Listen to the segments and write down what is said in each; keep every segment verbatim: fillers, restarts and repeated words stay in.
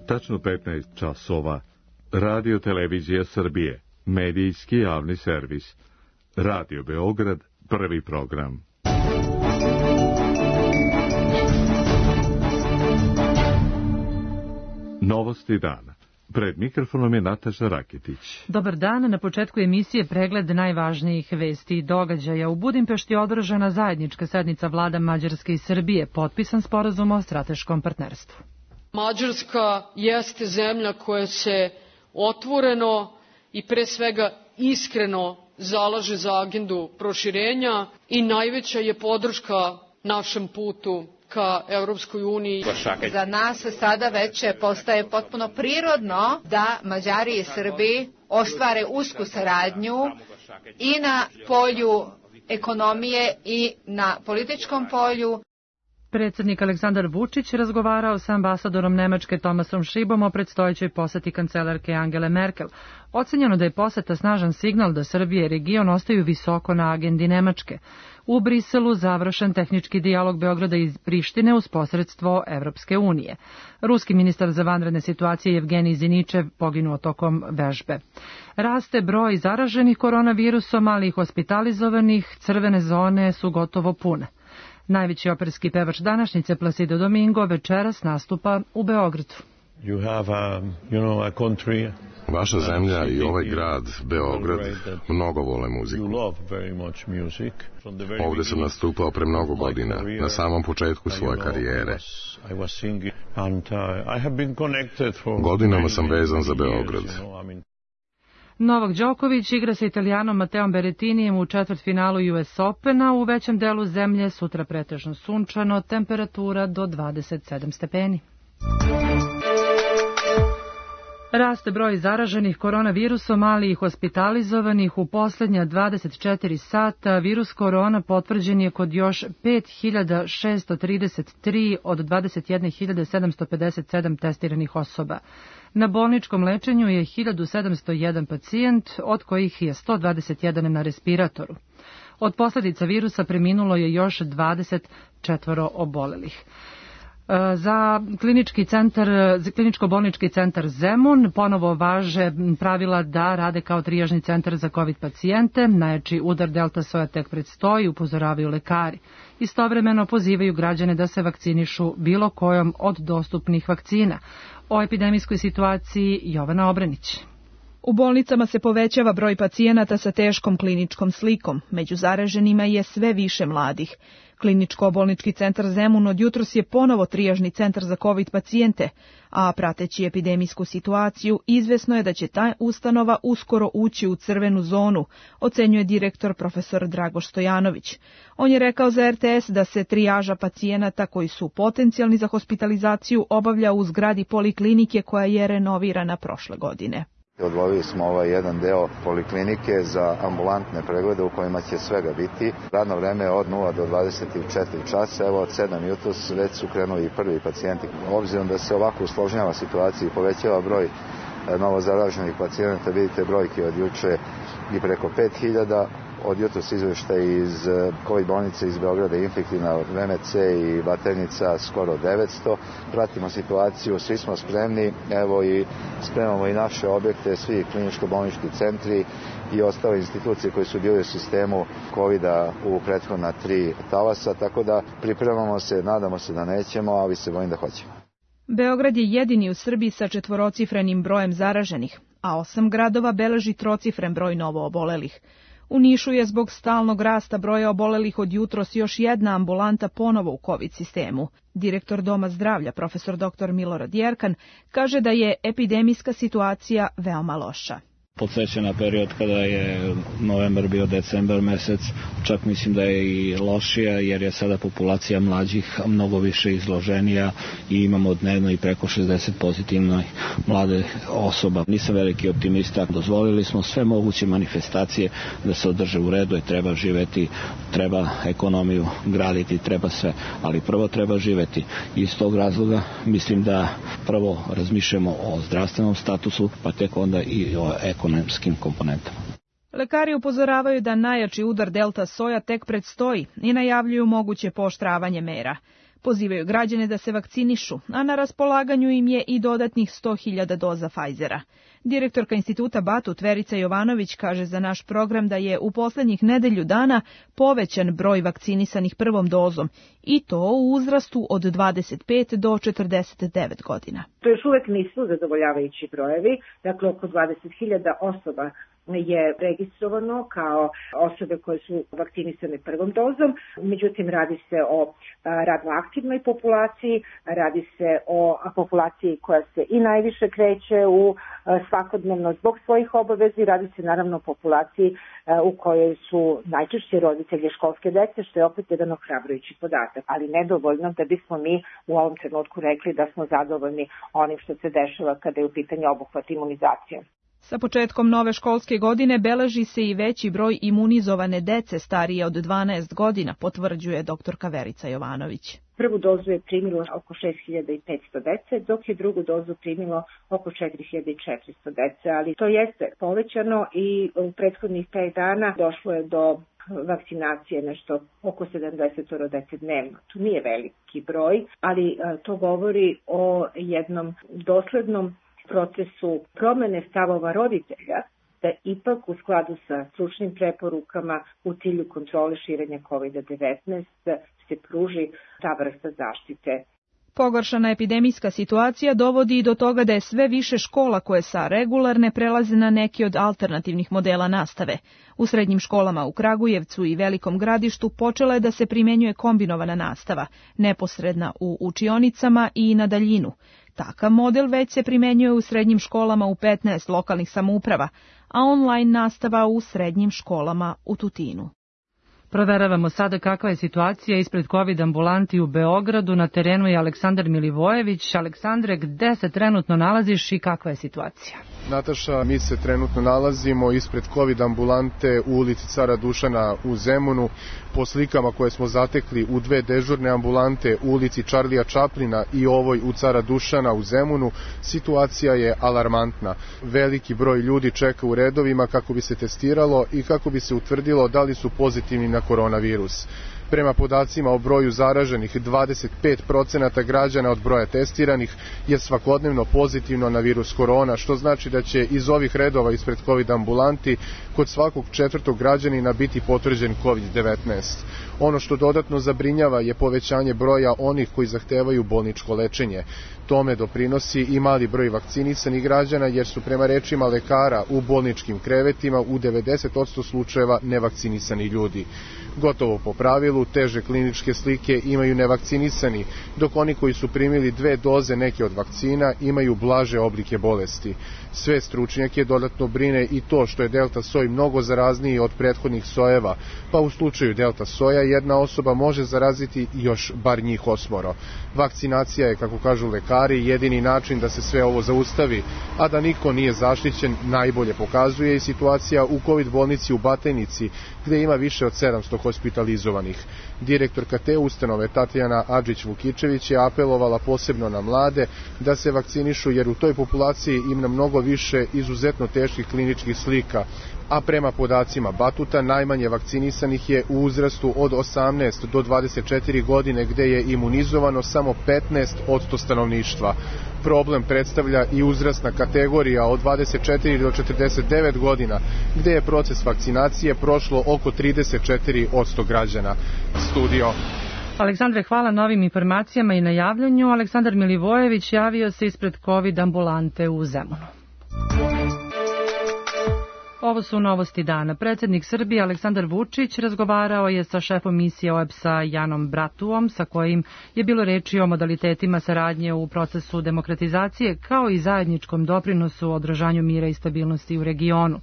Tačno petnaest časova. Radio Televizija Srbije. Medijski javni servis. Radio Beograd, prvi program. Novosti dana. Pred mikrofonom je Nataša Rakitić. Dobar dan, na početku emisije pregled najvažnijih vesti i događaja. U Budimpešti je održana zajednička sednica vlada Mađarske i Srbije, potpisan sporazum o strateškom partnerstvu. Mađarska jeste zemlja koja se otvoreno i pre svega iskreno zalaže za agendu proširenja i najveća je podrška našem putu ka Evropskoj uniji. Za nas sada već postaje potpuno prirodno da Mađari i Srbi ostvare usku saradnju i na polju ekonomije i na političkom polju. Predsjednik Aleksandar Vučić razgovarao sa ambasadorom Nemačke Tomasom Šibom o predstojećoj poseti kancelarke Angele Merkel. Ocenjeno da je poseta snažan signal da Srbija i region ostaju visoko na agendi Nemačke. U Briselu završen tehnički dijalog Beograda i Prištine uz posredstvo Evropske unije. Ruski ministar za vanredne situacije Evgenij Ziničev poginuo tokom vežbe. Raste broj zaraženih koronavirusom, ali i hospitalizovanih, crvene zone su gotovo pune. Najveći operski pevač današnjice Placido Domingo večeras nastupa u Beogradu. You have a, you know, a country. Vaša zemlja i ovaj grad, Beograd, mnogo vole muziku. Ovdje sam nastupao pre mnogo godina, na samom početku svoje karijere. Godinama sam vezan za Beograd. Novak Đoković igra sa Italijanom Mateom Berrettinijem u četvrtfinalu U S Opena. U većem delu zemlje sutra pretežno sunčano, temperatura do dvadeset sedam stepeni. Raste broj zaraženih koronavirusom, ali i hospitalizovanih. U posljednja dvadeset četiri sata virus korona potvrđen je kod još pet hiljada šesto trideset tri od dvadeset jedne hiljade sedamsto pedeset sedam testiranih osoba. Na bolničkom lečenju je hiljadu sedamsto jedan pacijent, od kojih je sto dvadeset jedan na respiratoru. Od posljedica virusa preminulo je još dvadeset četvoro obolelih. Za klinički centar, za kliničko-bolnički centar Zemun ponovo važe pravila da rade kao trijažni centar za COVID pacijente. Najjači udar delta soja tek predstoji, upozoravaju lekari. Istovremeno pozivaju građane da se vakcinišu bilo kojom od dostupnih vakcina. O epidemijskoj situaciji Jovana Obranić. U bolnicama se povećava broj pacijenata sa teškom kliničkom slikom. Među zaraženima je sve više mladih. Kliničko-bolnički centar Zemun od jutros je ponovo trijažni centar za COVID pacijente, a prateći epidemijsku situaciju izvesno je da će ta ustanova uskoro ući u crvenu zonu, ocenjuje direktor profesor Dragoš Stojanović. On je rekao za R T S da se trijaža pacijenata koji su potencijalni za hospitalizaciju obavlja u zgradi poliklinike koja je renovirana prošle godine. Odvojili smo ovaj jedan deo poliklinike za ambulantne preglede u kojima će svega biti. Radno vreme je od nula do dvadeset četiri časa, evo od sedam jutros već su krenuli i prvi pacijenti. Obzirom da se ovako usložnjava situacija i povećava broj novo zaraženih pacijenata, vidite brojke od juče i preko pet hiljada. Od jutros izveštaj iz COVID bolnice iz Beograda, infektivna V M C i Batajnica skoro devetsto. Pratimo situaciju, svi smo spremni, evo i spremamo i naše objekte, svi kliničko-bolnički centri i ostale institucije koje su bili u sistemu COVID-a u prethodna tri talasa, tako da pripremamo se, nadamo se da nećemo, ali se bojim da hoćemo. Beograd je jedini u Srbiji sa četvorocifrenim brojem zaraženih, a osam gradova beleži trocifren broj novo obolelih. U Nišu je zbog stalnog rasta broja obolelih od jutros još jedna ambulanta ponovo u COVID sistemu. Direktor Doma zdravlja, profesor doktor Milorad Jerkan, kaže da je epidemijska situacija veoma loša. Podsjeća na period kada je novembar bio decembar mesec, čak mislim da je i lošija jer je sada populacija mlađih mnogo više izloženija i imamo dnevno i preko šezdeset pozitivnih mlade osoba. Nisam veliki optimista, dozvolili smo sve moguće manifestacije da se održe u redu i treba živeti, treba ekonomiju graditi, treba sve, ali prvo treba živeti. Iz tog razloga mislim da prvo razmišljamo o zdravstvenom statusu, pa tek onda i o ekonomskim komponentama. Lekari upozoravaju da najjači udar delta soja tek predstoji i najavljuju moguće pooštravanje mera. Pozivaju građane da se vakcinišu, a na raspolaganju im je i dodatnih sto hiljada doza Pfizera. Direktorka instituta Batut Verica Jovanović kaže za naš program da je u poslednjih nedelju dana povećan broj vakcinisanih prvom dozom i to u uzrastu od dvadeset pet do četrdeset devet godina. To još uvek nisu zadovoljavajući brojevi, dakle oko dvadeset hiljada osoba je registrovano kao osobe koje su vakcinisane prvom dozom, međutim radi se o radno aktivnoj populaciji, radi se o populaciji koja se i najviše kreće u svakodnevno zbog svojih obavezi, radi se naravno o populaciji u kojoj su najčešće roditelji školske dece, što je opet jedan ohrabrujući podatak, ali nedovoljno da bismo mi u ovom trenutku rekli da smo zadovoljni onim što se dešava kada je u pitanju obuhvat imunizacije. Sa početkom nove školske godine beleži se i veći broj imunizovane dece starije od dvanaest godina, potvrđuje doktorka Verica Jovanović. Prvu dozu je primilo oko šest hiljada petsto dece, dok je drugu dozu primilo oko četiri hiljade četiristo dece, ali to jeste povećano i u prethodnih pet dana došlo je do vakcinacije nešto oko sedamdeset dece dnevno. To nije veliki broj, ali to govori o jednom doslednom procesu promene stavova roditelja da ipak u skladu sa stručnim preporukama u cilju kontrole širenja kovid devetnaest se pruži ta vrsta zaštite. Pogoršana epidemijska situacija dovodi i do toga da je sve više škola koje sa regularne prelaze na neki od alternativnih modela nastave. U srednjim školama u Kragujevcu i Velikom Gradištu počela je da se primenjuje kombinovana nastava, neposredna u učionicama i na daljinu. Takav model već se primenjuje u srednjim školama u petnaest lokalnih samouprava, a online nastava u srednjim školama u Tutinu. Proveravamo sada kakva je situacija ispred COVID ambulanti u Beogradu. Na terenu je Aleksandar Milivojević. Aleksandre, gde se trenutno nalaziš i kakva je situacija? Nataša, mi se trenutno nalazimo ispred COVID ambulante u ulici Cara Dušana u Zemunu. Po slikama koje smo zatekli u dve dežurne ambulante u ulici Čarlija Čaplina i ovoj u Cara Dušana u Zemunu, situacija je alarmantna. Veliki broj ljudi čeka u redovima kako bi se testiralo i kako bi se utvrdilo da li su pozitivni na koronavirus. Prema podacima o broju zaraženih, dvadeset pet procenata građana od broja testiranih je svakodnevno pozitivno na virus korona, što znači da će iz ovih redova ispred COVID ambulanti kod svakog četvrtog građanina biti potvrđen kovid devetnaest. Ono što dodatno zabrinjava je povećanje broja onih koji zahtevaju bolničko lečenje. Tome doprinosi i mali broj vakcinisanih građana, jer su prema rečima lekara u bolničkim krevetima u devedeset posto slučajeva nevakcinisani ljudi. Gotovo po pravilu, teže kliničke slike imaju nevakcinisani, dok oni koji su primili dve doze neke od vakcina imaju blaže oblike bolesti. Sve stručnjake dodatno brine i to što je delta soj mnogo zarazniji od prethodnih sojeva, pa u slučaju delta soja jedna osoba može zaraziti još bar njih osmoro. Vakcinacija je, kako kažu lekari, jedini način da se sve ovo zaustavi, a da niko nije zaštićen najbolje pokazuje i situacija u COVID bolnici u Batajnici, gde ima više od sedamsto hospitalizovanih. Direktorka te ustanove Tatjana Adžić-Vukičević je apelovala posebno na mlade da se vakcinišu, jer u toj populaciji ima mnogo više izuzetno teških kliničkih slika, a prema podacima Batuta najmanje vakcinisanih je u uzrastu od osamnaest do dvadeset četiri godine, gde je imunizovano samo petnaest posto stanovništva. Problem predstavlja i uzrasna kategorija od dvadeset četiri do četrdeset devet godina, gde je proces vakcinacije prošlo oko trideset četiri posto građana. Studio. Aleksandre, hvala na ovim informacijama i na javljanju. Aleksandar Milivojević javio se ispred COVID ambulante u Zemunu. Ovo su novosti dana. Predsjednik Srbije Aleksandar Vučić razgovarao je sa šefom misije O E B S-a Janom Bratuom, sa kojim je bilo reči o modalitetima saradnje u procesu demokratizacije, kao i zajedničkom doprinosu u održanju mira i stabilnosti u regionu.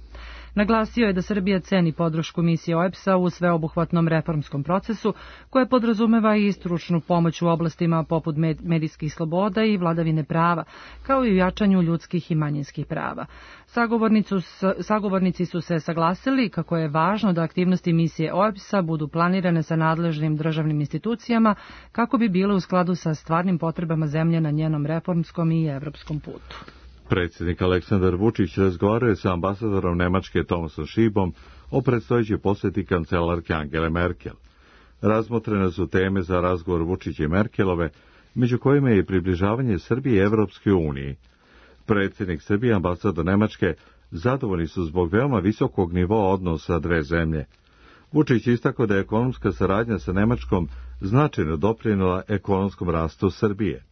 Naglasio je da Srbija ceni podršku misije O E B S-a u sveobuhvatnom reformskom procesu, koje podrazumeva i stručnu pomoć u oblastima poput medijskih sloboda i vladavine prava, kao i u jačanju ljudskih i manjinskih prava. Sagovornici su se saglasili kako je važno da aktivnosti misije O E B S-a budu planirane sa nadležnim državnim institucijama kako bi bile u skladu sa stvarnim potrebama zemlje na njenom reformskom i evropskom putu. Predsjednik Aleksandar Vučić razgovarao je sa ambasadorom Nemačke Thomasom Schiebom o predstojećoj posjeti kancelarke Angele Merkel. Razmotrene su teme za razgovor Vučića i Merkelove, među kojima je i približavanje Srbije Evropskoj uniji. Predsjednik Srbije i ambasador Nemačke zadovoljni su zbog veoma visokog nivoa odnosa dve zemlje. Vučić istakao da je ekonomska saradnja sa Nemačkom značajno doprinela ekonomskom rastu Srbije.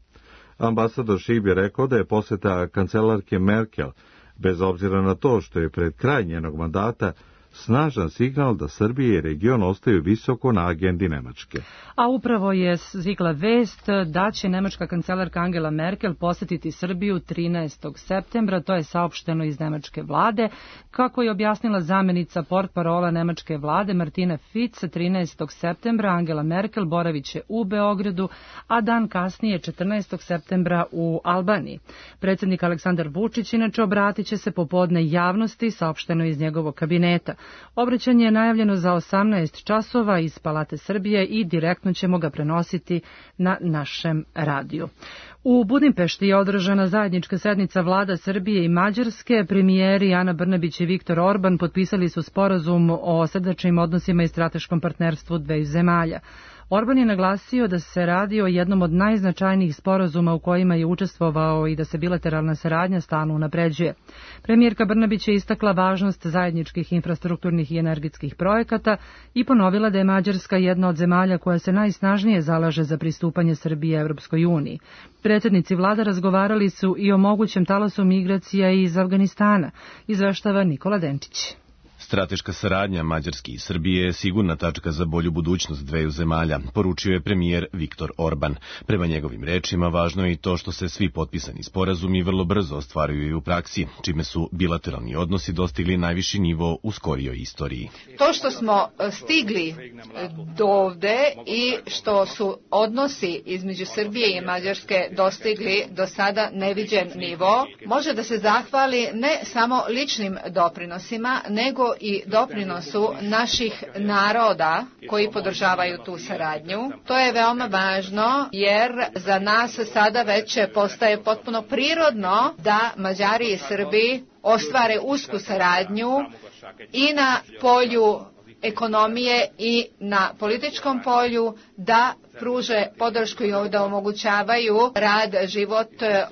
Ambasador Šib je rekao da je posjeta kancelarke Merkel, bez obzira na to što je pred kraj njenog mandata, snažan signal da Srbije i region ostaju visoko na agendi Nemačke. A upravo je stigla vest da će nemačka kancelarka Angela Merkel posjetiti Srbiju trinaestog septembra, to je saopšteno iz nemačke vlade. Kako je objasnila zamjenica portparola nemačke vlade Martina Fitz, trinaestog septembra Angela Merkel boraviće u Beogradu, a dan kasnije četrnaestog septembra u Albaniji. Predsjednik Aleksandar Vučić inače obratit će se popodne javnosti, saopšteno iz njegovog kabineta. Obraćanje je najavljeno za osamnaest časova iz Palate Srbije i direktno ćemo ga prenositi na našem radiju. U Budimpešti je održana zajednička sednica vlada Srbije i Mađarske. Premijeri Ana Brnabić i Viktor Orban potpisali su sporazum o srdačnim odnosima i strateškom partnerstvu dveju zemalja. Orban je naglasio da se radi o jednom od najznačajnijih sporazuma u kojima je učestvovao i da se bilateralna saradnja stalno unapređuje. Premijerka Brnabić je istakla važnost zajedničkih infrastrukturnih i energetskih projekata i ponovila da je Mađarska jedna od zemalja koja se najsnažnije zalaže za pristupanje Srbije Evropskoj uniji. Predsjednici vlada razgovarali su i o mogućem talasu migracija iz Afganistana, izveštava Nikola Denčić. Strateška saradnja Mađarske i Srbije je sigurna tačka za bolju budućnost dveju zemalja, poručio je premijer Viktor Orban. Prema njegovim rečima, važno je i to što se svi potpisani sporazumi vrlo brzo ostvaruju i u praksi, čime su bilateralni odnosi dostigli najviši nivo u skorijoj istoriji. To što smo stigli do ovde i što su odnosi između Srbije i Mađarske dostigli do sada neviđen nivo, može da se zahvali ne samo ličnim doprinosima, nego i doprinosu naših naroda koji podržavaju tu saradnju. To je veoma važno jer za nas sada već postaje potpuno prirodno da Mađari i Srbi ostvare usku saradnju i na polju ekonomije i na političkom polju, da pruže podršku i da omogućavaju rad, život,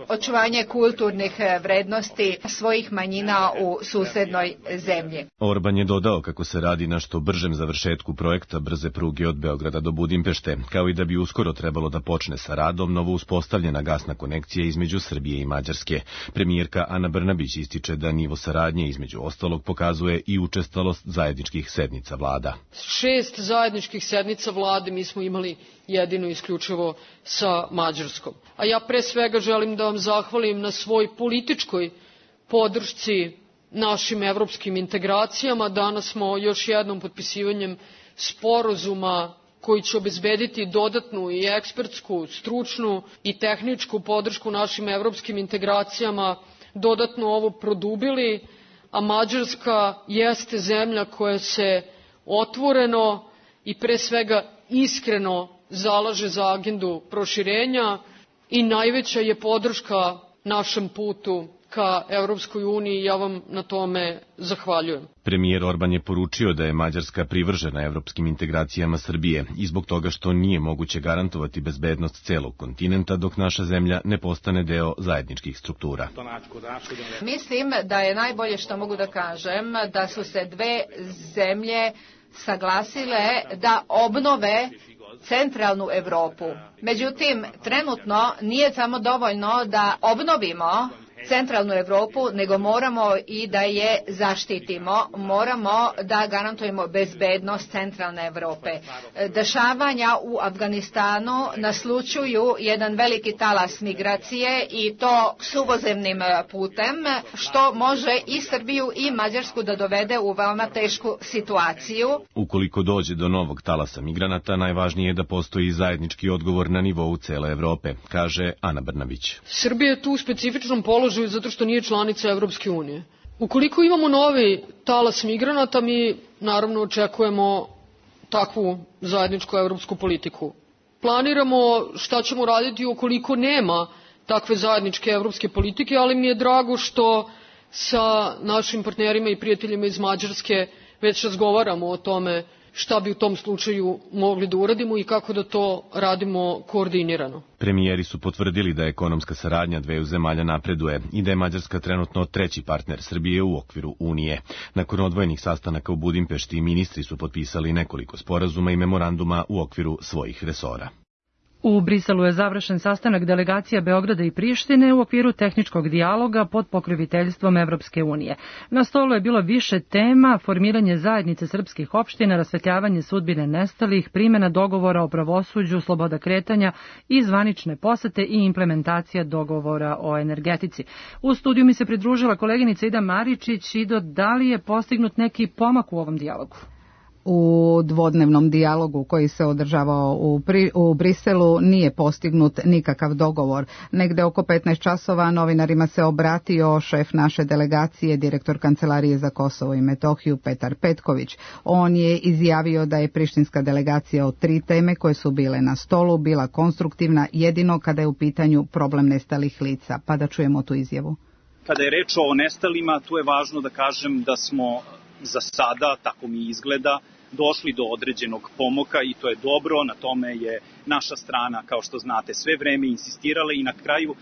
očuvanje kulturnih vrednosti svojih manjina u susednoj zemlji. Orban je dodao kako se radi na što bržem završetku projekta brze pruge od Beograda do Budimpešte, kao i da bi uskoro trebalo da počne sa radom novo uspostavljena gasna konekcija između Srbije i Mađarske. Premijerka Ana Brnabić ističe da nivo saradnje između ostalog pokazuje i učestalost zajedničkih sednica vlada. Šest zajedničkih sednica vlade mi smo imali jedino isključivo sa Mađarskom. A ja pre svega želim da vam zahvalim na svoj političkoj podršci našim evropskim integracijama. Danas smo još jednom potpisivanjem sporazuma koji će obezbediti dodatnu i ekspertsku, stručnu i tehničku podršku našim evropskim integracijama, dodatno ovo produbili, a Mađarska jeste zemlja koja se otvoreno i pre svega iskreno zalaže za agendu proširenja i najveća je podrška našem putu ka Evropskoj uniji. Ja vam na tome zahvaljujem. Premijer Orban je poručio da je Mađarska privržena evropskim integracijama Srbije i zbog toga što nije moguće garantovati bezbednost celog kontinenta dok naša zemlja ne postane deo zajedničkih struktura. Mislim da je najbolje što mogu da kažem da su se dve zemlje saglasile da obnove centralnu Evropu. Međutim, trenutno nije samo dovoljno da obnovimo centralnu Evropu, nego moramo i da je zaštitimo, moramo da garantujemo bezbednost centralne Evrope. Dešavanja u Afganistanu naslučuju jedan veliki talas migracije i to suvozemnim putem, što može i Srbiju i Mađarsku da dovede u veoma tešku situaciju. Ukoliko dođe do novog talasa migranata, najvažnije je da postoji zajednički odgovor na nivou cele Evrope, kaže Ana Brnabić. Srbija je tu u specifičnom položaju zato što nije članica Evropske unije. Ukoliko imamo novi talas migranata, mi naravno očekujemo takvu zajedničku evropsku politiku. Planiramo šta ćemo raditi ukoliko nema takve zajedničke evropske politike, ali mi je drago što sa našim partnerima i prijateljima iz Mađarske već razgovaramo o tome šta bi u tom slučaju mogli da uradimo i kako da to radimo koordinirano. Premijeri su potvrdili da ekonomska saradnja dveju zemalja napreduje i da je Mađarska trenutno treći partner Srbije u okviru Unije. Nakon odvojenih sastanaka u Budimpešti, ministri su potpisali nekoliko sporazuma i memoranduma u okviru svojih resora. U Briselu je završen sastanak delegacija Beograda i Prištine u okviru tehničkog dijaloga pod pokroviteljstvom Evropske unije. Na stolu je bilo više tema: formiranje zajednice srpskih opština, rasvetljavanje sudbine nestalih, primjena dogovora o pravosuđu, sloboda kretanja i zvanične posete i implementacija dogovora o energetici. U studiju mi se pridružila koleginica Ida Maričić. Ido, da li je postignut neki pomak u ovom dijalogu? U dvodnevnom dijalogu koji se održavao u, Pri, u Briselu nije postignut nikakav dogovor. Negde oko petnaest časova novinarima se obratio šef naše delegacije, direktor Kancelarije za Kosovo i Metohiju Petar Petković. On je izjavio da je prištinska delegacija od tri teme koje su bile na stolu bila konstruktivna jedino kada je u pitanju problem nestalih lica. Pa da čujemo tu izjavu. Kada je reč o nestalima, tu je važno da kažem da smo za sada, tako mi izgleda, došli do određenog pomoka i to je dobro, na tome je naša strana, kao što znate, sve vreme insistirala i na kraju e,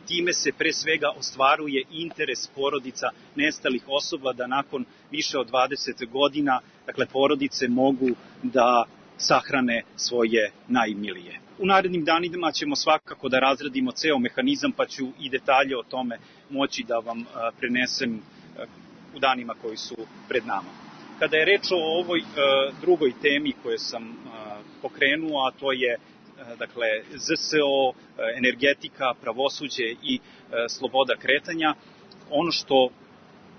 time se pre svega ostvaruje interes porodica nestalih osoba da nakon više od dvadeset godina, dakle, porodice mogu da sahrane svoje najmilije. U narednim danima ćemo svakako da razradimo ceo mehanizam, pa ću i detalje o tome moći da vam a, prenesem a, u danima koji su pred nama. Kada je reč o ovoj e, drugoj temi koju sam e, pokrenuo, a to je e, dakle Z S O, e, energetika, pravosuđe i e, sloboda kretanja, ono što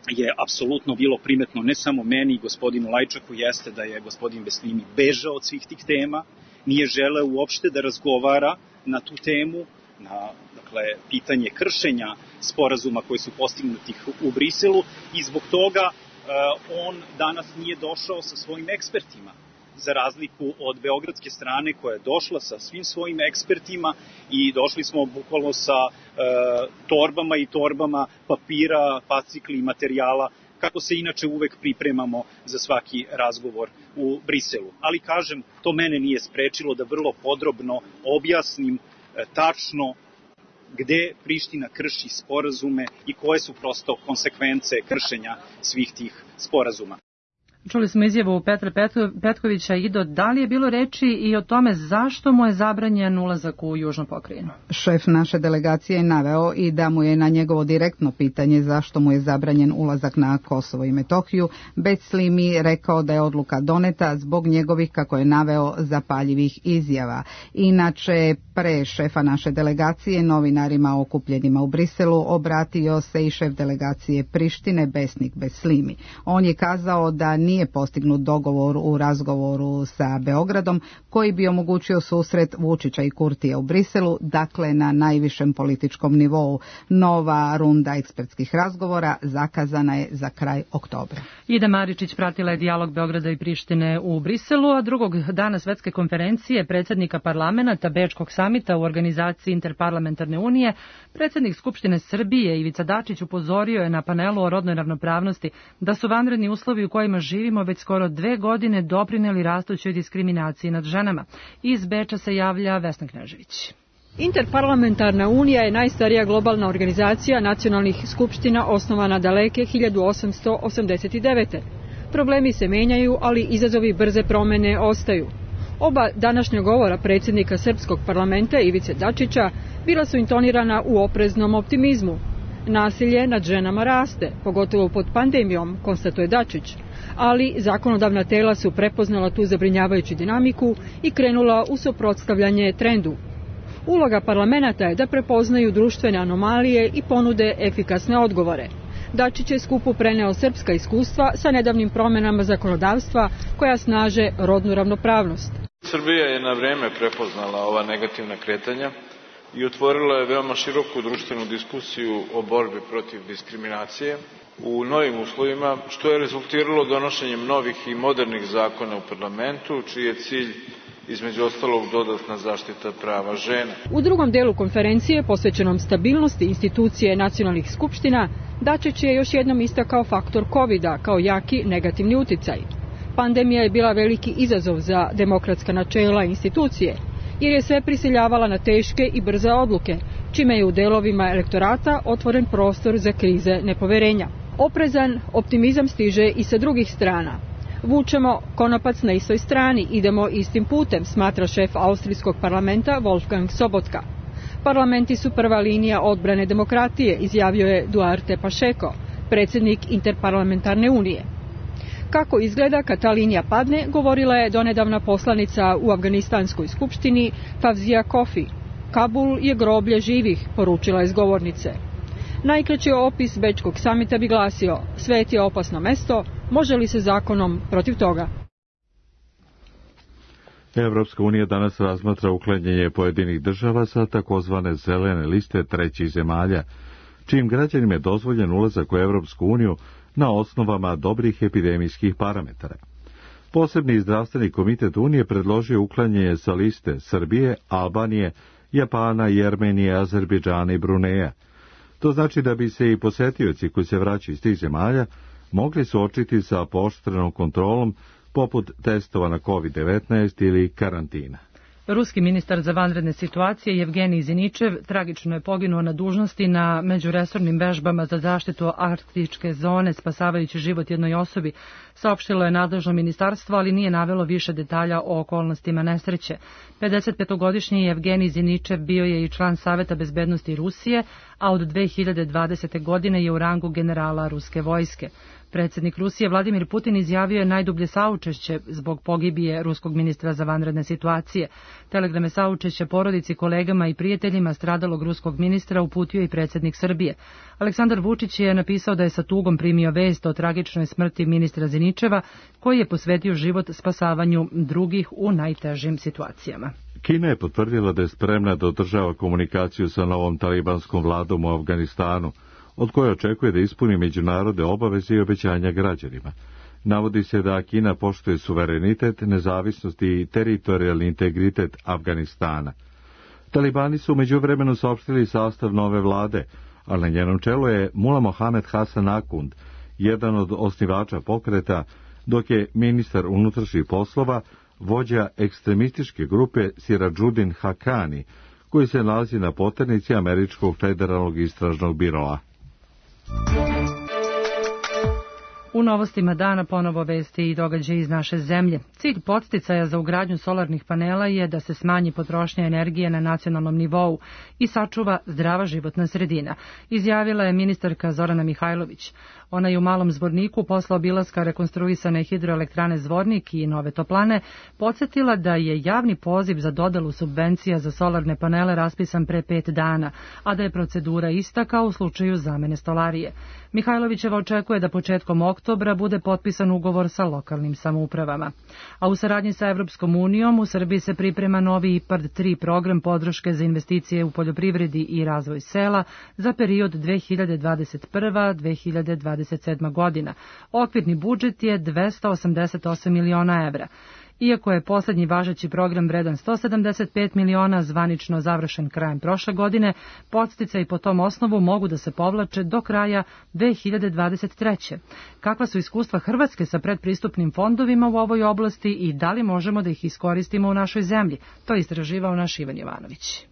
je apsolutno bilo primetno ne samo meni i gospodinu Lajčaku jeste da je gospodin Beslimi bežao od svih tih tema, nije želeo uopšte da razgovara na tu temu, na dakle, pitanje kršenja sporazuma koji su postignuti u Briselu i zbog toga on danas nije došao sa svojim ekspertima, za razliku od beogradske strane koja je došla sa svim svojim ekspertima i došli smo bukvalno sa e, torbama i torbama papira, fascikli i materijala, kako se inače uvek pripremamo za svaki razgovor u Briselu. Ali kažem, to mene nije sprečilo da vrlo podrobno objasnim e, tačno gde Priština krši sporazume i koje su prosto konsekvence kršenja svih tih sporazuma. Čuli smo izjavu Petra Petkovića. Ido, da li je bilo reči i o tome zašto mu je zabranjen ulazak u Južnu pokrajinu? Šef naše delegacije je naveo i da mu je na njegovo direktno pitanje zašto mu je zabranjen ulazak na Kosovo i Metohiju Beslimi rekao da je odluka doneta zbog njegovih, kako je naveo, zapaljivih izjava. Inače, pre šefa naše delegacije novinarima okupljenima u Briselu obratio se i šef delegacije Prištine Besnik Beslimi. On je kazao da nije nije postignut dogovor u razgovoru sa Beogradom koji bi omogućio susret Vučića i Kurtija u Briselu, dakle na najvišem političkom nivou. Nova runda ekspertskih razgovora zakazana je za kraj oktobra. Ida Maričić pratila je dijalog Beograda i Prištine u Briselu, a drugog dana svetske konferencije predsjednika parlamenta Bečkog samita u organizaciji Interparlamentarne unije, predsjednik Skupštine Srbije Ivica Dačić upozorio je na panelu o rodnoj ravnopravnosti da su vanredni uslovi u kojima živimo već skoro dve godine doprineli rastućoj diskriminaciji nad ženama. Iz Beča se javlja Vesna Knežević. Interparlamentarna unija je najstarija globalna organizacija nacionalnih skupština osnovana daleke hiljadu osamsto osamdeset devete. Problemi se menjaju, ali izazovi brze promene ostaju. Oba današnja govora predsjednika Srpskog parlamenta Ivice Dačića bila su intonirana u opreznom optimizmu. Nasilje nad ženama raste, pogotovo pod pandemijom, konstatuje Dačić, ali zakonodavna tela su prepoznala tu zabrinjavajuću dinamiku i krenula u suprotstavljanje trendu. Uloga parlamenta je da prepoznaju društvene anomalije i ponude efikasne odgovore. Dačić je skupu preneo srpska iskustva sa nedavnim promjenama zakonodavstva koja snaže rodnu ravnopravnost. Srbija je na vreme prepoznala ova negativna kretanja i otvorila je veoma široku društvenu diskusiju o borbi protiv diskriminacije u novim uslovima, što je rezultiralo donošenjem novih i modernih zakona u parlamentu, čiji je cilj između ostalog dodatna zaštita prava žena. U drugom delu konferencije, posvećenom stabilnosti institucije nacionalnih skupština, Dačić je još jednom istakao faktor kovida kao jaki negativni uticaj. Pandemija je bila veliki izazov za demokratska načela i institucije, jer je sve prisiljavala na teške i brze odluke, čime je u delovima elektorata otvoren prostor za krize nepoverenja. Oprezan optimizam stiže i sa drugih strana. Vučemo konopac na istoj strani, idemo istim putem, smatra šef austrijskog parlamenta Wolfgang Sobotka. Parlamenti su prva linija odbrane demokratije, izjavio je Duarte Pacheco, predsjednik Interparlamentarne unije. Kako izgleda kad ta linija padne, govorila je donedavna poslanica u Afganistanskoj skupštini Fawzia Kofi. Kabul je groblje živih, poručila je s govornice. Najkraći opis Bečkog samita bi glasio: svet je opasno mesto, može li se zakonom protiv toga? Evropska unija danas razmatra uklanjanje pojedinih država sa takozvane zelene liste trećih zemalja, čijim građanima je dozvoljen ulazak u Evropsku uniju na osnovama dobrih epidemijskih parametara. Posebni zdravstveni komitet Unije predložio uklanjanje sa liste Srbije, Albanije, Japana, Jermenije, Azerbejdžana i Bruneja. To znači da bi se i posetioci koji se vraćaju iz tih zemalja mogli suočiti sa pooštrenom kontrolom poput testova na kovid devetnaest ili karantina. Ruski ministar za vanredne situacije Jevgenij Ziničev tragično je poginuo na dužnosti na međuresornim vežbama za zaštitu arktičke zone, spasavajući život jednoj osobi, saopštilo je nadležno ministarstvo, ali nije navelo više detalja o okolnostima nesreće. pedesetpetogodišnji Jevgenij Ziničev bio je i član Saveta bezbednosti Rusije, a od dve hiljade dvadesete. godine je u rangu generala ruske vojske. Predsjednik Rusije Vladimir Putin izjavio je najdublje saučešće zbog pogibije ruskog ministra za vanredne situacije. Telegrame saučešća porodici, kolegama i prijateljima stradalog ruskog ministra uputio i predsjednik Srbije. Aleksandar Vučić je napisao da je sa tugom primio vest o tragičnoj smrti ministra Ziničeva, koji je posvetio život spasavanju drugih u najtežim situacijama. Kina je potvrdila da je spremna da održava komunikaciju sa novom talibanskom vladom u Afganistanu, od koje očekuje da ispuni međunarodne obaveze i obećanja građanima. Navodi se da Kina poštuje suverenitet, nezavisnost i teritorijalni integritet Afganistana. Talibani su u međuvremenu saopštili sastav nove vlade, ali na njenom čelu je Mula Mohamed Hasan Akund, jedan od osnivača pokreta, dok je ministar unutrašnjih poslova vođa ekstremističke grupe Sirađudin Hakani, koji se nalazi na poternici Američkog federalnog istražnog biroa. U novostima dana ponovo vesti i događaje iz naše zemlje. Cilj podsticaja za ugradnju solarnih panela je da se smanji potrošnja energije na nacionalnom nivou i sačuva zdrava životna sredina, izjavila je ministarka Zorana Mihajlović. Ona je u Malom Zvorniku posle obilaska rekonstruisane hidroelektrane Zvornik i Nove Toplane podsjetila da je javni poziv za dodelu subvencija za solarne panele raspisan pre pet dana, a da je procedura ista kao u slučaju zamene stolarije. Mihajlovićeva očekuje da početkom oktobra bude potpisan ugovor sa lokalnim samoupravama. A u saradnji sa Evropskom unijom u Srbiji se priprema novi IPARD tri program podrške za investicije u poljoprivredi i razvoj sela za period dve hiljade dvadeset prva do dve hiljade dvadeset sedma. godina. Okvirni budžet je dvesta osamdeset osam miliona evra. Iako je posljednji važeći program vredan sto sedamdeset pet miliona zvanično završen krajem prošle godine, podsticaji po tom osnovu mogu da se povlače do kraja dve hiljade dvadeset treće. Kakva su iskustva Hrvatske sa predpristupnim fondovima u ovoj oblasti i da li možemo da ih iskoristimo u našoj zemlji? To je istraživao naš Ivan Jovanović.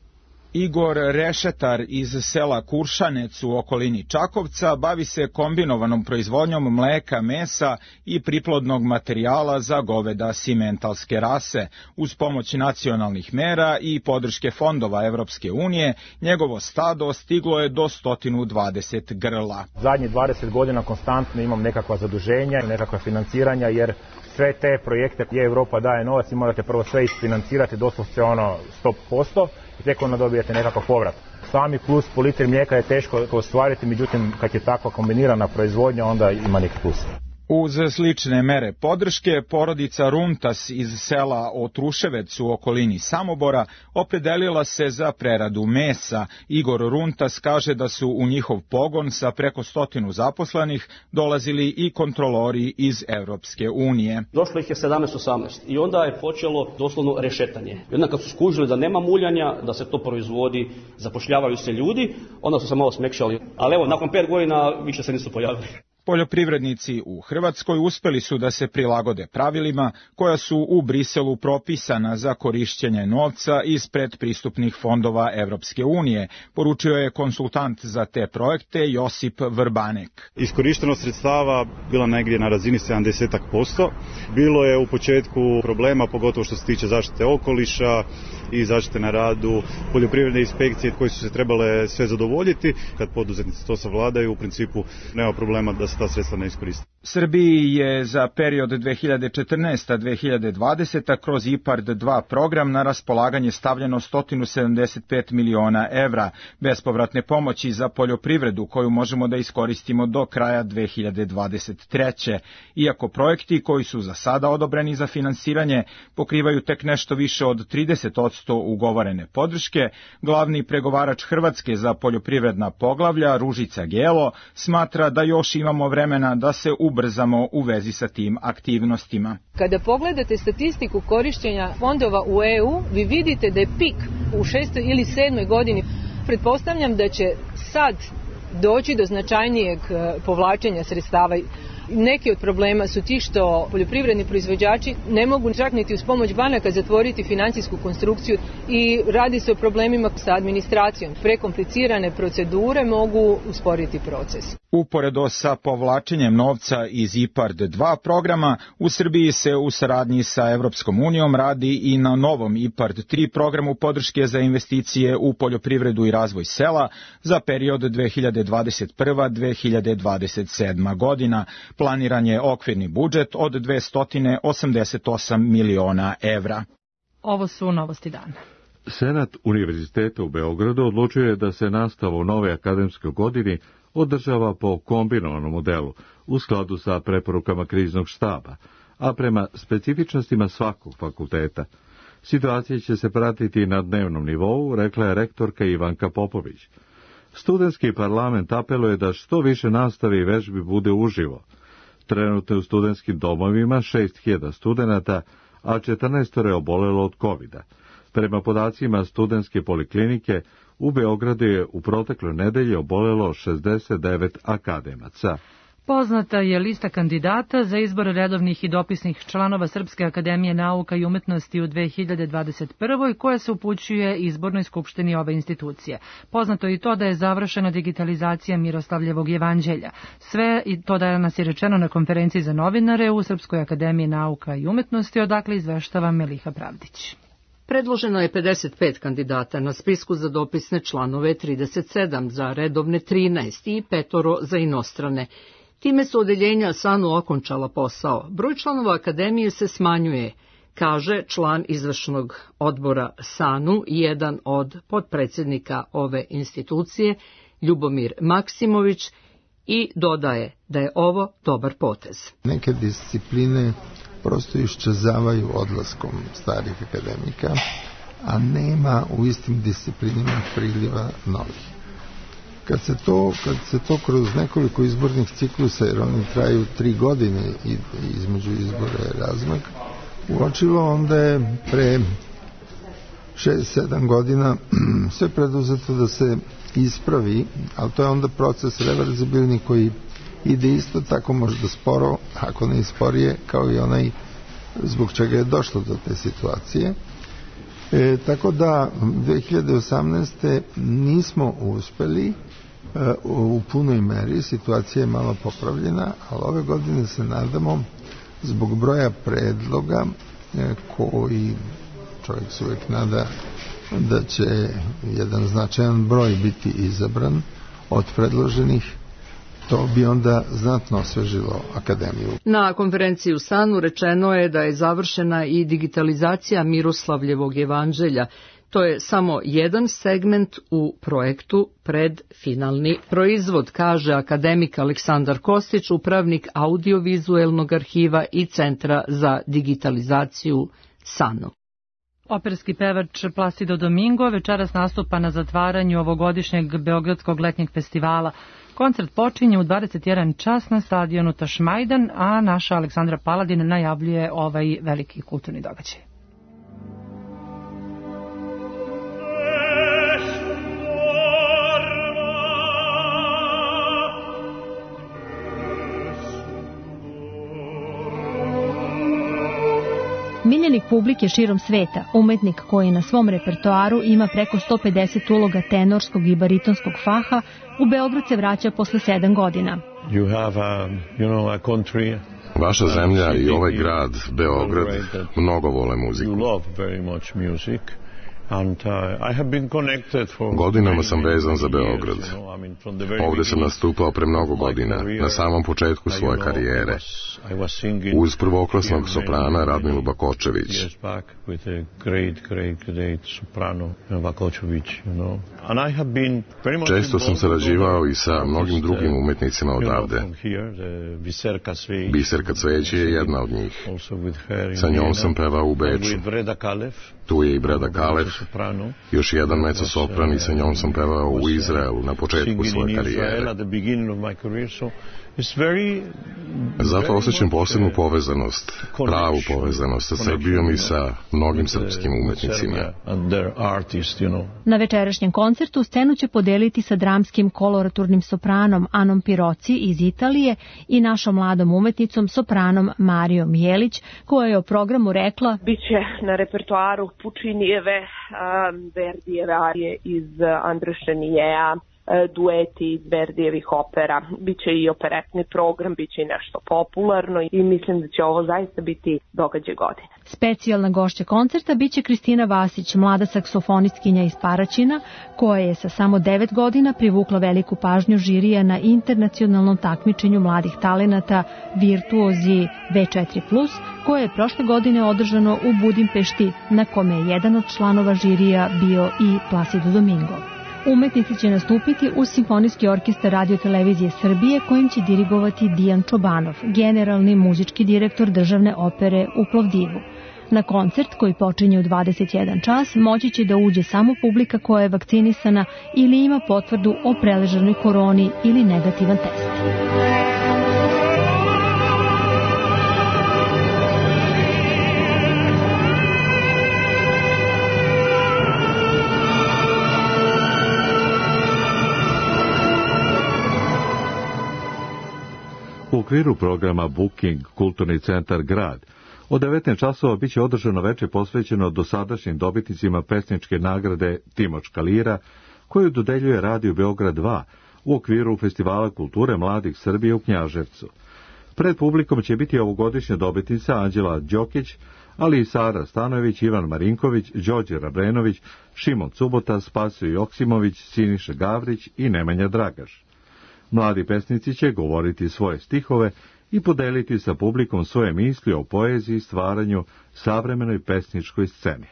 Igor Rešetar iz sela Kuršanec u okolini Čakovca bavi se kombinovanom proizvodnjom mleka, mesa i priplodnog materijala za goveda simentalske rase. Uz pomoć nacionalnih mera i podrške fondova Evropske unije, njegovo stado stiglo je do sto dvadeset grla. Zadnjih dvadeset godina konstantno imam nekakva zaduženja, nekakva financiranja, jer sve te projekte gdje Evropa daje novac i morate prvo sve isfinancirati doslovce ono sto posto i tek onda dobijete nekakav povrat. Sami plus po litri mlijeka je teško ostvariti, međutim kad je takva kombinirana proizvodnja onda ima neki plus. Uz slične mere podrške, porodica Runtas iz sela Otruševec u okolini Samobora opredelila se za preradu mesa. Igor Runtas kaže da su u njihov pogon sa preko stotinu zaposlenih dolazili i kontrolori iz Evropske unije. Došlo ih je sedamnaest osamnaest i onda je počelo doslovno rešetanje. I onda kad su skužili da nema muljanja, da se to proizvodi, zapošljavaju se ljudi, onda su se malo smekšali. Ali evo, nakon pet godina više se nisu pojavili. Poljoprivrednici u Hrvatskoj uspeli su da se prilagode pravilima koja su u Briselu propisana za korišćenje novca iz predpristupnih fondova Evropske unije, poručio je konsultant za te projekte Josip Vrbanek. Iskorištenost sredstava bila negdje na razini sedamdeset posto. Bilo je u početku problema, pogotovo što se tiče zaštite okoliša i zaštite na radu, poljoprivredne inspekcije koje su se trebale sve zadovoljiti. Kad poduzetnici to savladaju, u principu nema problema da se ta sredstva ne iskoriste. Srbiji je za period dve hiljade četrnaeste do dve hiljade dvadesete kroz IPARD dva program na raspolaganje stavljeno sto sedamdeset pet miliona evra bespovratne pomoći za poljoprivredu koju možemo da iskoristimo do kraja dve hiljade dvadeset treće. Iako projekti koji su za sada odobreni za finansiranje pokrivaju tek nešto više od trideset posto ugovorene podrške, glavni pregovarač Hrvatske za poljoprivredna poglavlja Ružica Gelo smatra da još imamo vremena da se ubrzamo u vezi sa tim aktivnostima. Kada pogledate statistiku korišćenja fondova u E U, vi vidite da je pik u šestoj ili sedmoj godini. Pretpostavljam da će sad doći do značajnijeg povlačenja sredstava. Neki od problema su ti što poljoprivredni proizvođači ne mogu čak niti uz pomoć banaka zatvoriti financijsku konstrukciju i radi se o problemima sa administracijom. Prekomplicirane procedure mogu usporiti proces. Uporedo sa povlačenjem novca iz IPARD dva programa, u Srbiji se u saradnji sa Evropskom unijom radi i na novom IPARD tri programu podrške za investicije u poljoprivredu i razvoj sela za period dve hiljade dvadeset prva do dve hiljade dvadeset sedma godina. Planiran je okvirni budžet od dvesta osamdeset osam miliona evra. Ovo su novosti dana. Senat Univerziteta u Beogradu odlučio je da se nastava u nove akademskoj godini održava po kombinovanom modelu u skladu sa preporukama kriznog štaba, a prema specifičnostima svakog fakulteta. Situacija će se pratiti na dnevnom nivou, rekla je rektorka Ivanka Popović. Studentski parlament apeluje da što više nastave i vežbi bude uživo. Trenutno je u studentskim domovima šest hiljada studenata, a četrnaest je obolelo od kovida. Prema podacima studentske poliklinike, u Beogradu je u protekloj nedelji obolelo šezdeset devet akademaca. Poznata je lista kandidata za izbor redovnih i dopisnih članova Srpske akademije nauka i umetnosti u dve hiljade dvadeset prvoj koja se upućuje izbornoj skupštini ove institucije. Poznato je i to da je završena digitalizacija Miroslavljevog jevanđelja. Sve i to da nas je rečeno na konferenciji za novinare u Srpskoj akademiji nauka i umetnosti, odakle izveštava Meliha Pravdić. Predloženo je pedeset pet kandidata, na spisku za dopisne članove trideset sedam, za redovne trinaest i petoro za inostrane. Time su odeljenja SANU okončala posao. Broj članova akademije se smanjuje, kaže član izvršnog odbora SANU, jedan od potpredsjednika ove institucije, Ljubomir Maksimović, i dodaje da je ovo dobar potez. Neke discipline prosto iščezavaju odlaskom starih akademika, a nema u istim disciplinima priliva novih. Kad se to, kad se to kroz nekoliko izbornih ciklusa, jer oni traju tri godine i između izbora je razmak, uočilo, onda je pre šest sedam godina sve preduzeto da se ispravi, ali to je onda proces reverzibilni koji ide isto tako možda sporo, ako ne i sporije, kao i onaj zbog čega je došlo do te situacije. E, tako da dve hiljade osamnaeste nismo uspeli e, u punoj meri, situacija je malo popravljena, ali ove godine se nadamo zbog broja predloga e, koji čovjek se uvijek nada da će jedan značajan broj biti izabran od predloženih. To bi onda znatno osvežilo akademiju. Na konferenciji u SANU rečeno je da je završena i digitalizacija Miroslavljevog jevanđelja. To je samo jedan segment u projektu pred finalni proizvod, kaže akademik Aleksandar Kostić, upravnik audiovizuelnog arhiva i Centra za digitalizaciju SANU. Operski pevač Placido Domingo večeras nastupa na zatvaranju ovogodišnjeg Beogradskog letnjeg festivala. Koncert počinje u dvadeset jedan čas na stadionu Tašmajdan, a naša Aleksandra Paladin najavljuje ovaj veliki kulturni događaj. Omiljenik publike širom sveta, umetnik koji na svom repertoaru ima preko sto pedeset uloga tenorskog i baritonskog faha, u Beograd se vraća posle sedam godina. You have a, you know, a country. Vaša zemlja i ovaj grad, Beograd, mnogo vole muziku. You love very much music. And, uh, I have been connected for Godinama sam vezan za Beograd. Ovde sam nastupao pre mnogo godina, na samom početku svoje karijere, uz prvoklasnog soprana Radmilu Bakočević. Često sam sarađivao i sa mnogim drugim umetnicima odavde. Biserka Cveće je jedna od njih. Sa njom sam pevao u Beču. Tu je i Breda Kalev, još jedan mezzo-sopran, i sa njom sam pevao u Izraelu na početku svoje karijere. Zato osjećam posebnu povezanost, pravu povezanost sa Srbijom i sa mnogim srpskim umetnicima. Na večerašnjem koncertu scenu će podeliti sa dramskim koloraturnim sopranom Anom Piroci iz Italije i našom mladom umetnicom sopranom Marijom Jelić, koja je o programu rekla: Biće na repertoaru Pučinijeve, Verdijeve arije iz Andrešenijeja, dueti iz Verdijevih opera, biće i operetni program, biće i nešto popularno i mislim da će ovo zaista biti događaj godine. Specijalna gošća koncerta biće Kristina Vasić, mlada saksofonistkinja iz Paraćina, koja je sa samo devet godina privukla veliku pažnju žirija na internacionalnom takmičenju mladih talenata Virtuozi V četiri plus, koje je prošle godine održano u Budimpešti, na kome je jedan od članova žirija bio i Placido Domingo. Umetnici će nastupiti uz Simfonijski orkestar Radio Televizije Srbije, kojim će dirigovati Dijan Čobanov, generalni muzički direktor državne opere u Plovdivu. Na koncert, koji počinje u dvadeset jedan čas, moći će da uđe samo publika koja je vakcinisana ili ima potvrdu o preležanoj koroni ili negativan test. U okviru programa Booking Kulturni centar Grad od devetnaest časova biće održano veče posvećeno dosadašnjim dobitnicima pesničke nagrade Timočka lira, koju dodeljuje Radio Beograd dva u okviru Festivala kulture mladih Srbije u Knjaževcu. Pred publikom će biti ovogodišnja dobitnica Anđela Đokić, ali i Sara Stanojević, Ivan Marinković, Đorđe Rabrenović, Šimon Cubota, Spasio Joksimović, Siniša Gavrić i Nemanja Dragaš. Mladi pesnici će govoriti svoje stihove i podeliti sa publikom svoje misli o poeziji i stvaranju savremenoj pesničkoj sceni.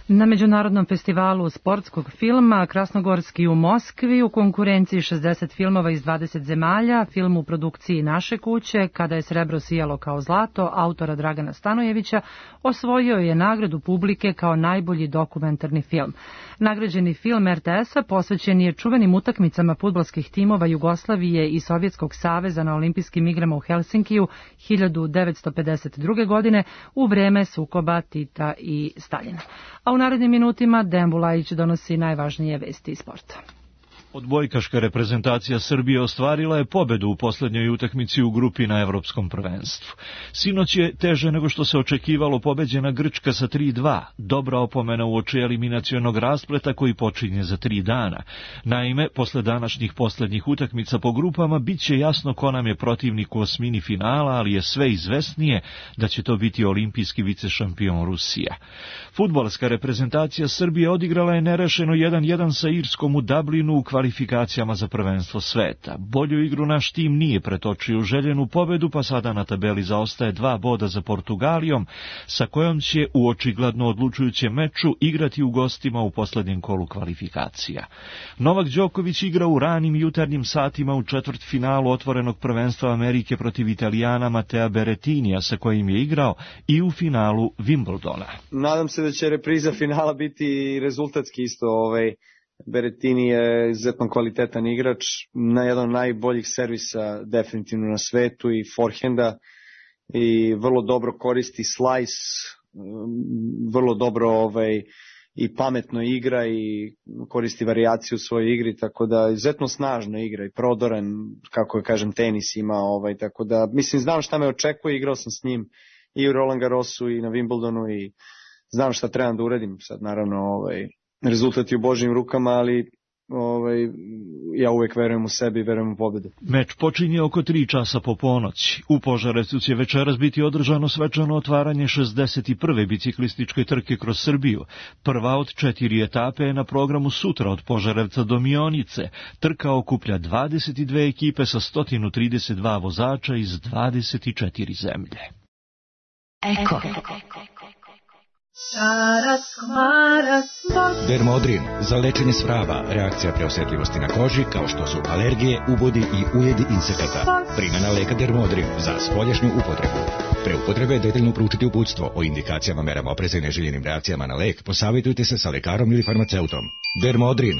Na Međunarodnom festivalu sportskog filma Krasnogorski u Moskvi u konkurenciji šezdeset filmova iz dvadeset zemalja, film u produkciji Naše kuće, Kada je srebro sijalo kao zlato, autora Dragana Stanojevića, osvojio je nagradu publike kao najbolji dokumentarni film. Nagrađeni film er te es-a posvećen je čuvenim utakmicama fudbalskih timova Jugoslavije i Sovjetskog saveza na olimpijskim igrama u Helsinkiju hiljadu devetsto pedeset druge. godine u vreme sukoba Tita i Staljina. A u narednim minutima Dejan Bulajić donosi najvažnije vesti iz sporta. Odbojkaška reprezentacija Srbije ostvarila je pobedu u poslednjoj utakmici u grupi na Evropskom prvenstvu. Sinoć je teže nego što se očekivalo pobeđena Grčka sa tri dva, dobra opomena uoči eliminacionog raspleta koji počinje za tri dana. Naime, posle današnjih poslednjih utakmica po grupama bit će jasno ko nam je protivnik u osmini finala, ali je sve izvesnije da će to biti olimpijski vicešampion Rusija. Fudbalska reprezentacija Srbije odigrala je nerešeno jedan jedan sa Irskom u Dublinu u kvalifikacijama za prvenstvo sveta. Bolju igru naš tim nije pretočio u željenu pobedu, pa sada na tabeli zaostaje dva boda za Portugalijom, sa kojom će u očigledno odlučujućem meču igrati u gostima u poslednjem kolu kvalifikacija. Novak Đoković igra u ranim jutarnjim satima u četvrtfinalu otvorenog prvenstva Amerike protiv Italijana Matea Berrettinija, sa kojim je igrao i u finalu Wimbledona. Nadam se da će repriza finala biti rezultatski isto. Ovaj Berrettini je izuzetno kvalitetan igrač, na jedan od najboljih servisa definitivno na svetu i forehenda, i vrlo dobro koristi slice, vrlo dobro ovaj i pametno igra i koristi varijaciju u svojoj igri, tako da izuzetno snažno igra i prodoran, kako kažem, tenis ima, ovaj, tako da mislim, znam šta me očekuje, igrao sam s njim i u Roland Garrosu i na Wimbledonu i znam šta trebam da uradim. Sad naravno ovaj, rezultat je u Božjim rukama, ali ovaj, ja uvek verujem u sebi i verujem u pobedu. Meč počinje oko tri časa po ponoći. U Požarevcu će večeras biti održano svečano otvaranje šezdeset prve biciklističke trke kroz Srbiju. Prva od četiri etape je na programu sutra od Požarevca do Mionice. Trka okuplja dvadeset dve ekipe sa sto trideset dva vozača iz dvadeset četiri zemlje. Eko. Dermodrin za lečenje svrava, reakcija preosetljivosti na koži kao što su alergije, ubodi i ujedi insekata. Primjena leka Dermodrin za spoljašnju upotrebu. Pre upotrebe detaljno proučiti uputstvo o indikacijama, merama opreza i neželjenim reakcijama na lek. Posavjetujte se sa lekarom ili farmaceutom. Dermodrin.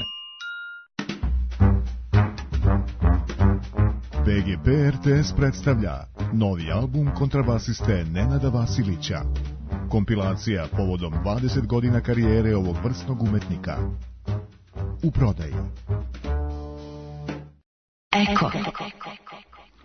B G P R T S predstavlja novi album kontrabasiste Nenada Vasilića. Kompilacija povodom dvadeset godina karijere ovog vrsnog umetnika. U prodaji. Eko.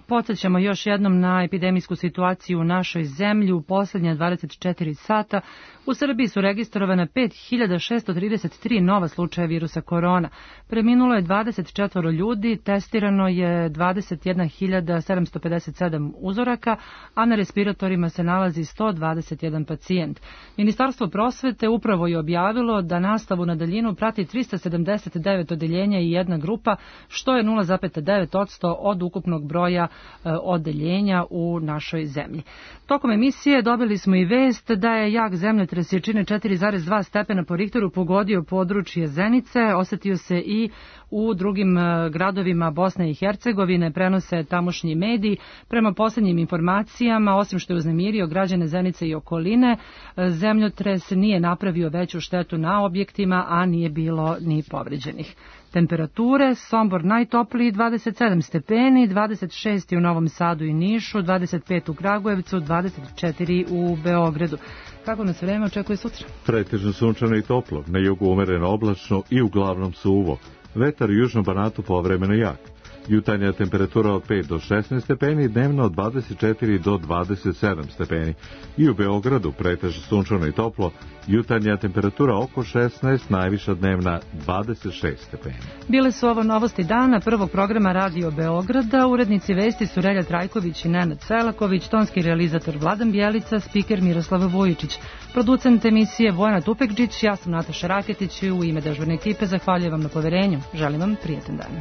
Podsjećamo još jednom na epidemijsku situaciju u našoj zemlji. U posljednja dvadeset četiri sata u Srbiji su registrovane pet hiljada šesto trideset tri nova slučaja virusa korona. Preminulo je dvadeset četiri ljudi, testirano je dvadeset jedna hiljada sedamsto pedeset sedam uzoraka, a na respiratorima se nalazi sto dvadeset jedan pacijent. Ministarstvo prosvete upravo je objavilo da nastavu na daljinu prati trista sedamdeset devet odeljenja i jedna grupa, što je nula zarez devet posto od ukupnog broja odeljenja u našoj zemlji. Tokom emisije dobili smo i vest da je jak zemljotres jačine četiri zarez dva stepena po Richteru pogodio područje Zenice, osetio se i u drugim gradovima Bosne i Hercegovine, prenose tamošnji mediji. Prema posljednjim informacijama, osim što je uznemirio građane Zenice i okoline, zemljotres nije napravio veću štetu na objektima, a nije bilo ni povređenih. Temperature: Sombor najtopliji dvadeset sedam stepeni, dvadeset šest u Novom Sadu i Nišu, dvadeset pet u Kragujevcu, dvadeset četiri u Beogradu. Kako nas vreme očekuje sutra? Pretežno sunčano i toplo, na jugu umereno oblačno i uglavnom suvo. Vetar u južnom Banatu povremeno jak. Jutarnja temperatura od pet do šesnaest stepeni, dnevno od dvadeset četiri do dvadeset sedam stepeni. I u Beogradu pretežno sunčano i toplo, jutarnja temperatura oko šesnaest, najviša dnevna dvadeset šest stepeni. Bile su ovo novosti dana prvog programa Radio Beograda. Urednici vesti su Relja Trajković i Nenad Selaković, tonski realizator Vladan Bjelica, spiker Miroslava Vujičić, producent emisije Vojana Tupekđić, ja sam Nataša Raketić i u ime dežurne ekipe zahvaljujem vam na poverenju. Želim vam prijetan dan.